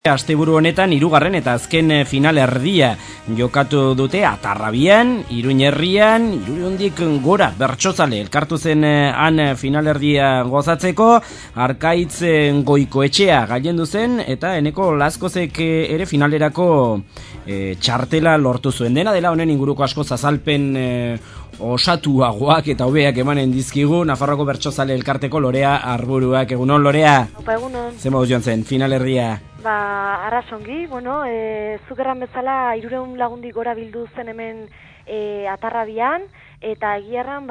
Asteburu honetan hirugarren eta azken final erdia jokatu dute Atarrabian, Iruñerrian, Irundik gora bertsozale elkartu zen han final erdia gozatzeko. Arkaitz Goikoetxea gailendu zen eta Eneko Lazkozek ere finalerako txartela lortu zuen. Dena dela honen inguruko asko azalpen osatuagoak eta hobeak emanen dizkigu Nafarroako bertsozale elkarteko Lorea Arburuak. Egunon, Lorea? Opa, egunon. Zer moduz joan zen final erdia? Arrasongi, zuk erran bezala 300 lagundi gora bildu zen hemen Atarrabian, eta egiarran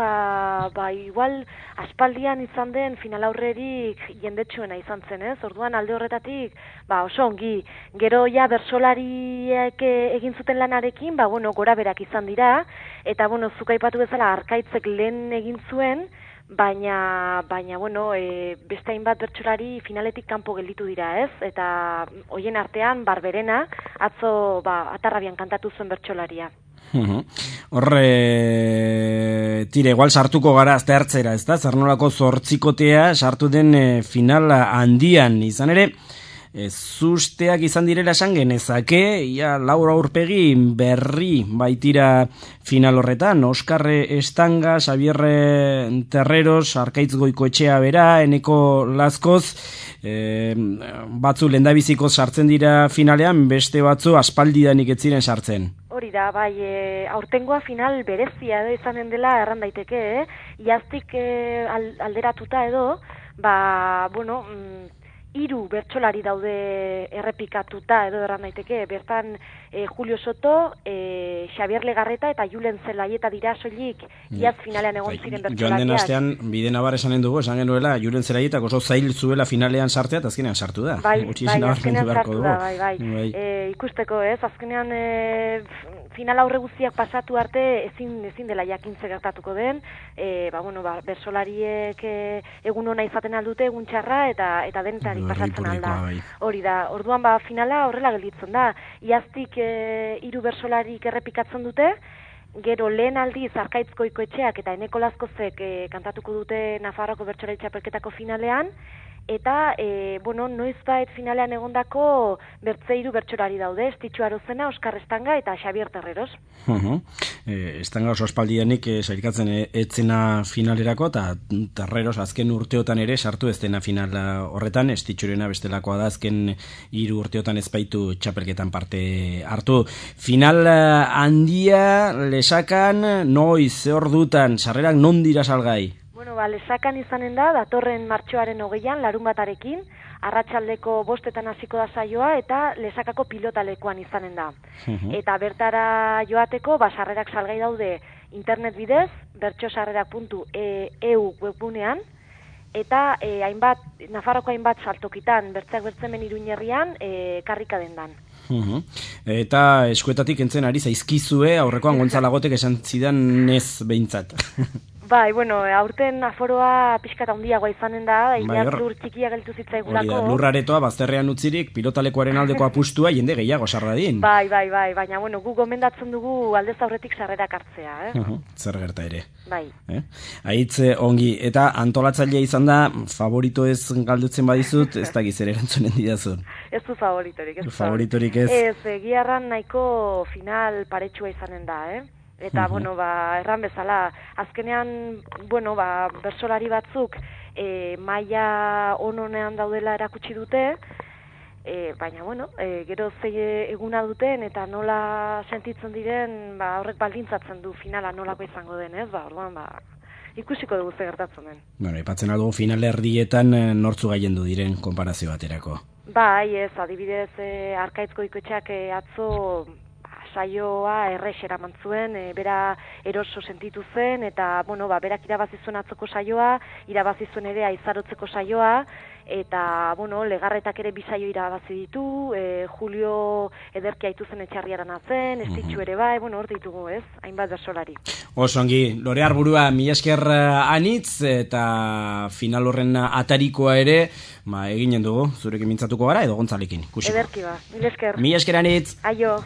igual aspaldian izan den final aurrerik jendetsuena izan zen, ez? Orduan alde horretatik oso ongi. Gero ja bertsolariek egin zuten lanarekin, gora berak izan dira, eta zuk aipatu bezala Arkaitzek lehen egin zuen, baina beste hainbat bertsolari finaletik kanpo gelditu dira, ez? Eta hoien artean Barberena atzo Atarrabian kantatu zuen bertsolaria. Tire, igual sartuko gara azte hartzera, ez da? Zer nolako zortzikotea sartu den final handian, izan ere, zusteak izan direla esan genezake, Laura Aurpegi berri baitira final horretan, Oskar Estanga, Xabier Terreros, Arkaitz Goikoetxea bera, Eneko Lazkoz, batzu lendabiziko sartzen dira finalean, beste batzu aspaldidanik ez ziren sartzen. Hori da, aurtengoa final berezia edo izanen dela erran daiteke, iaztik alderatuta edo, 3 bertsolari daude errepikatuta edo erran daiteke, bertan Julio Soto, Xabier Legarreta eta Julen Zelaieta dira soilik iaz finalean egon ziren bertsolariak. Joan den astean bide nabar esanen dugu, esan genuela Julen Zelaietak oso zail zuela finalean sartzea eta azkenean sartu da. Azkenean sartu da, ikusteko ez, azkenean final aurre guztiak pasatu arte ezin dela jakintze gertatuko den, bertsolariek egun ona izaten aldute, egun txarra eta denetari pasatzen alda. Hori da, orduan finala horrela gelditzen da. Iaztik 3 bersolarik errepikatzen dute, gero lehen aldiz Arkaitz Goikoetxeak eta Eneko Lazkozek kantatuko dute Nafarroako bertsolari txapelketako finalean, eta noizbait finalean egondako 3 bertsolari daude, Estitxu Arozena, Oskar Estanga eta Xabier Terreros. Estanga oso aspaldianik sailkatzen etzena finalerako, eta Terreros azken urteotan ere sartu ez dena final horretan, Estitxurena bestelakoa da azken 3 urteotan ez baitu txapelketan parte hartu. Final handia Lesakan, noiz, ze ordutan, sarrerak non dira salgai? Lesakan izanen da, datorren martxoaren 20an, larunbatarekin, arratsaldeko 5etan hasiko da saioa eta Lesakako pilotalekuan izanen da. Eta bertara joateko, sarrerak salgai daude internet bidez, bertsosarrerak.eu webgunean, eta Nafarroko hainbat saltokitan, bertzeak bertzemen Iruñerrian, karrika dendan. Eta eskuetatik entzen ari zaizkizue, aurrekoan Gontzalagotek esan zidan ez behintzat. Aurten aforoa pixkata handiagoa izanen da, lur txikia geltu zitzaigulako. Lurraretoa bazterrean utzirik pilotalekoaren aldeko apustua jende gehiago sarradin. Baina gu gomendatzen dugu aldez aurretik sarrerak hartzea. Zer gerta ere. Aitz ongi, eta antolatzailea izan da, favorito ez galdutzen badizut, ez da gizere erantzunen didazun. Ez du favoritorik. Favoritorik ez. Egiarran nahiko final paretsua izanen da, Eta, erran bezala, azkenean, bersolari batzuk maila ononean daudela erakutsi dute, baina, gero eguna duten eta nola sentitzen diren, horrek baldintzatzen du finala nolako izango den, orduan, ikusiko dugu ze gertatzen den. Ipatzen aldugu final erdietan nortzu gailendu diren konparazio baterako. Adibidez, Arkaitz Goikoetxeak atzo saioa errexera mantzuen, bera eroso sentitu zen, eta, berak irabazi zuen atzoko saioa, irabazi zuen ere aizarotzeko saioa, eta, Legarretak ere 2 saio irabazi ditu, Julio ederki aitu zen etxarriaran zen, Estitxu ere hor ditugu, hainbat bersolari. Osongi, Lorea Arburua, mila esker anitz, eta final horren atarikoa ere, eginen dugu, zurekin mintzatuko gara, edo Gontzalekin. Ederki mila esker. Mila esker anitz. Aio.